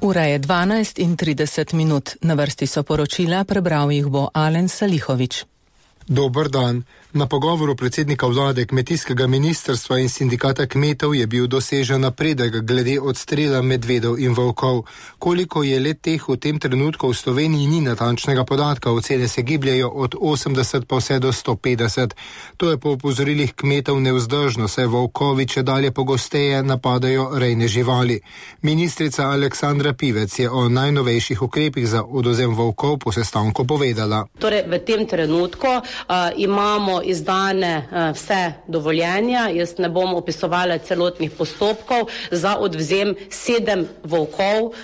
Ura je 12:30. Na vrsti so poročila, prebral jih bo Alen Salihović. Dober dan. Na pogovoru predsednika vlade, kmetijskega ministrstva in sindikata kmetov je bil dosežen napredek glede odstrela medvedov in volkov. Koliko je let teh v tem trenutku v Sloveniji, ni natančnega podatka, ocene se gibljajo od 80 pa vse do 150. To je po opozorilih kmetov nevzdržno, saj volkovi čedalje pogosteje napadajo rejne živali. Ministrica Aleksandra Pivec je o najnovejših ukrepih za odvzem volkov po sestanku povedala. Torej, v tem trenutku imamo izdane vse dovoljenja. Jaz ne bom opisovala celotnih postopkov za odvzem 7 volkov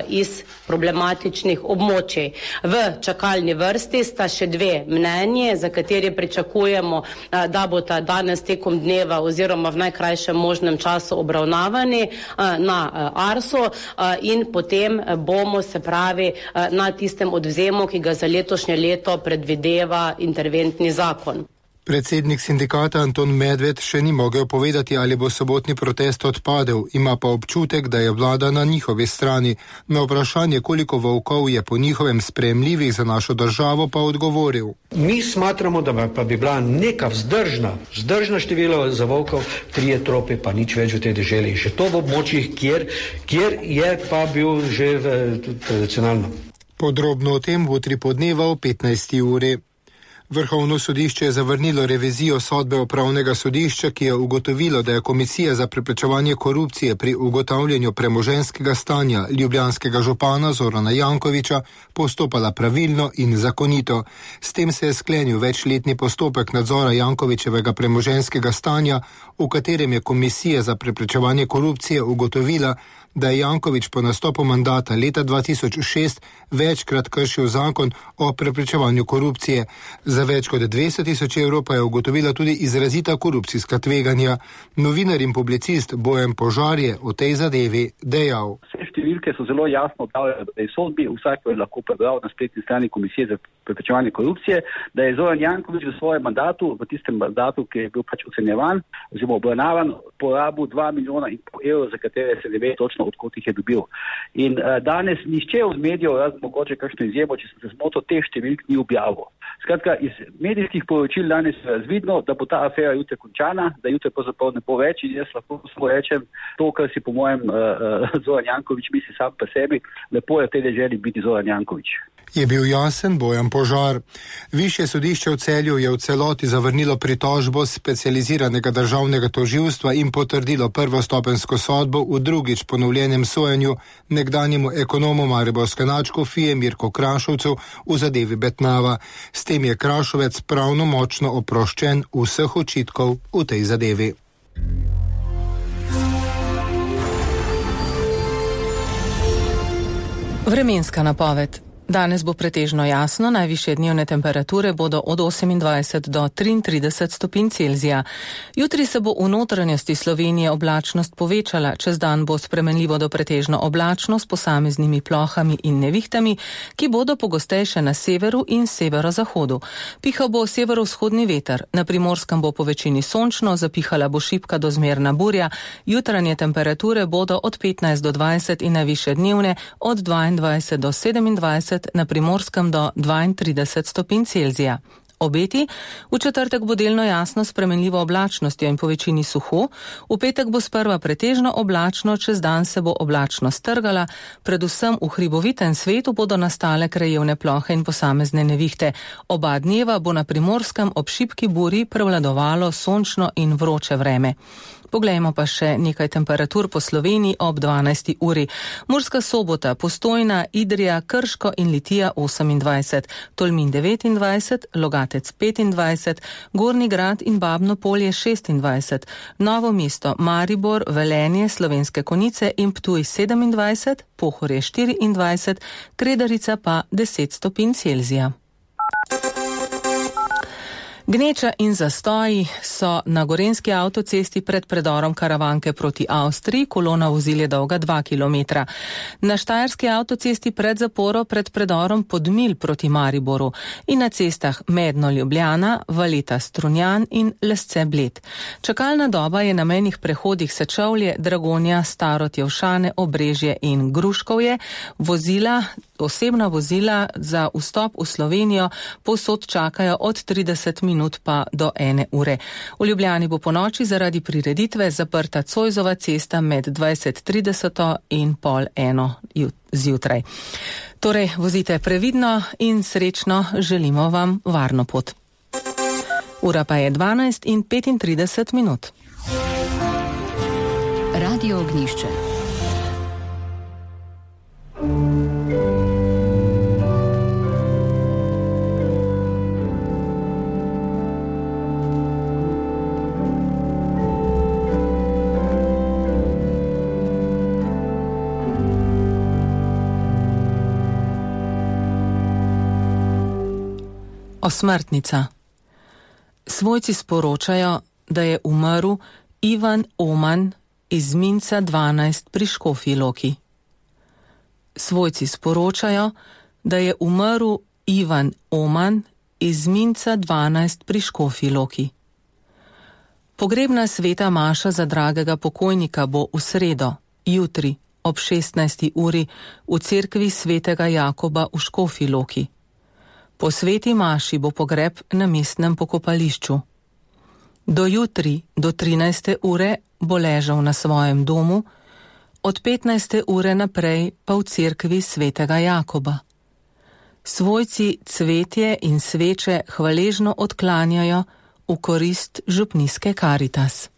iz problematičnih območij. V čakalni vrsti sta še 2 mnenji, za kateri pričakujemo, da bo ta danes tekom dneva oziroma v najkrajšem možnem času obravnavani na ARSU in potem bomo, se pravi, na tistem odvzemu, ki ga za letošnje leto predvideva interventni zakon. Predsednik sindikata Anton Medved še ni mogel povedati, ali bo sobotni protest odpadel, ima pa občutek, da je vlada na njihovi strani. Na vprašanje, koliko volkov je po njihovem sprejemljivih za našo državo, pa odgovoril. Mi smatramo, da pa bi bila neka vzdržna število za volkov 3 trope, pa nič več v tej deželi. In še to v območjih, kjer je pa bil že tradicionalno. Podrobno o tem bo 3 podneva o 15. uri. Vrhovno sodišče je zavrnilo revizijo sodbe upravnega sodišča, ki je ugotovilo, da je Komisija za preprečevanje korupcije pri ugotavljanju premoženjskega stanja ljubljanskega župana Zorana Jankovića postopala pravilno in zakonito. S tem se je sklenil večletni postopek nadzora Jankovićevega premoženjskega stanja, v katerem je Komisija za preprečevanje korupcije ugotovila, da je Janković po nastopu mandata leta 2006 večkrat kršil zakon o preprečevanju korupcije. Za več kot 200 tisoč evrov pa je ugotovila tudi izrazita korupcijska tveganja. Novinar in publicist Bojan Požar je o tej zadevi dejal. Vse številke so zelo jasno objavljene v tej sodbi, vsak je lahko prebral na spletni strani Komisije za preprečevanje korupcije, da je Zoran Janković v svojem mandatu, v tistem mandatu, ki je bil ocenjevan, oziroma obravnavan, porabil 2,5 milijona evrov, za katere se ne ve točno, odkot jih je dobil. In danes nihče od medijev, razen mogoče kakšno izjemo, če sem se zmotil, teh številk ni objavil. Skratka, iz medijskih poročil danes je razvidno, da bo ta afera jutri končana, da jutri pravzaprav ne bo več in jaz lahko samo rečem to, kar si po mojem Zoran Janković misli sam pa sebi, lepo je v tej deželi biti Zoran Janković. Je bil jasen Bojan Požar. Višje sodišče v Celju je v celoti zavrnilo pritožbo specializiranega državnega tožilstva in potrdilo prvostopenjsko sodbo v drugič ponovljenem sojenju nekdanjemu ekonomu mariborske nadškofije Mirku Krašovcu v zadevi Betnava. S tem je Krašovec pravnomočno oproščen vseh očitkov v tej zadevi. Vremenska napoved. Danes bo pretežno jasno, najvišje dnevne temperature bodo od 28 do 33 stopinj Celzija. Jutri se bo v notranjosti Slovenije oblačnost povečala, čez dan bo spremenljivo do pretežno oblačno s posameznimi plohami in nevihtami, ki bodo pogostejše na severu in severozahodu. Pihal bo severovzhodni veter, na Primorskem bo po večini sončno, zapihala bo šibka do zmerna burja, jutranje temperature bodo od 15 do 20 in najvišje dnevne od 22 do 27, na Primorskem do 32 stopinj Celzija. Obeti, v četrtek bo delno jasno spremenljivo oblačnostjo in po večini suho, v petek bo sprva pretežno oblačno, čez dan se bo oblačno strgala, predvsem v hribovitem svetu bodo nastale krajevne plohe in posamezne nevihte. Oba dneva bo na Primorskem ob šibki buri prevladovalo sončno in vroče vreme. Poglejmo pa še nekaj temperatur po Sloveniji ob 12. uri. Murska Sobota, Postojna, Idrija, Krško in Litija 28, Tolmin 29, Logatec 25, Gornji Grad in Babno Polje 26, Novo mesto, Maribor, Velenje, Slovenske Konjice in Ptuj 27, Pohorje 24, Kredarica pa 10 stopinj Celzija. Gneča in zastoji so na gorenjski avtocesti pred predorom Karavanke proti Avstriji, kolona vozil je dolga 2 km. Na štajerski avtocesti pred zaporo pred predorom Podmilj proti Mariboru in na cestah Medno-Ljubljana, Valeta-Strunjan in Lesce-Bled. Čakalna doba je na mejnih prehodih Sečovlje, Dragonja, Starod-Jevšane, Obrežje in Gruškovje. Osebna vozila za vstop v Slovenijo povsod čakajo od 30 minut pa do 1 ure. V Ljubljani bo ponoči zaradi prireditve zaprta Cojzova cesta med 20:30 in 12:30 zjutraj. Torej, vozite previdno in srečno, želimo vam varno pot. Ura pa je 12:35 minut. Radio Ognjišče. Osmrtnica. Svojci sporočajo, da je umrl Ivan Oman iz Minca 12 pri Škofji Loki. Svojci sporočajo, da je umrl Ivan Oman iz Minca 12 pri Škofji Loki. Pogrebna sveta maša za dragega pokojnika bo v sredo, jutri ob 16. uri v cerkvi svetega Jakoba v Škofji Loki. Po sveti maši bo pogreb na mestnem pokopališču. Do jutri, do 13. ure bo ležal na svojem domu, od 15. ure naprej pa v cerkvi svetega Jakoba. Svojci cvetje in sveče hvaležno odklanjajo v korist župnijske Karitas.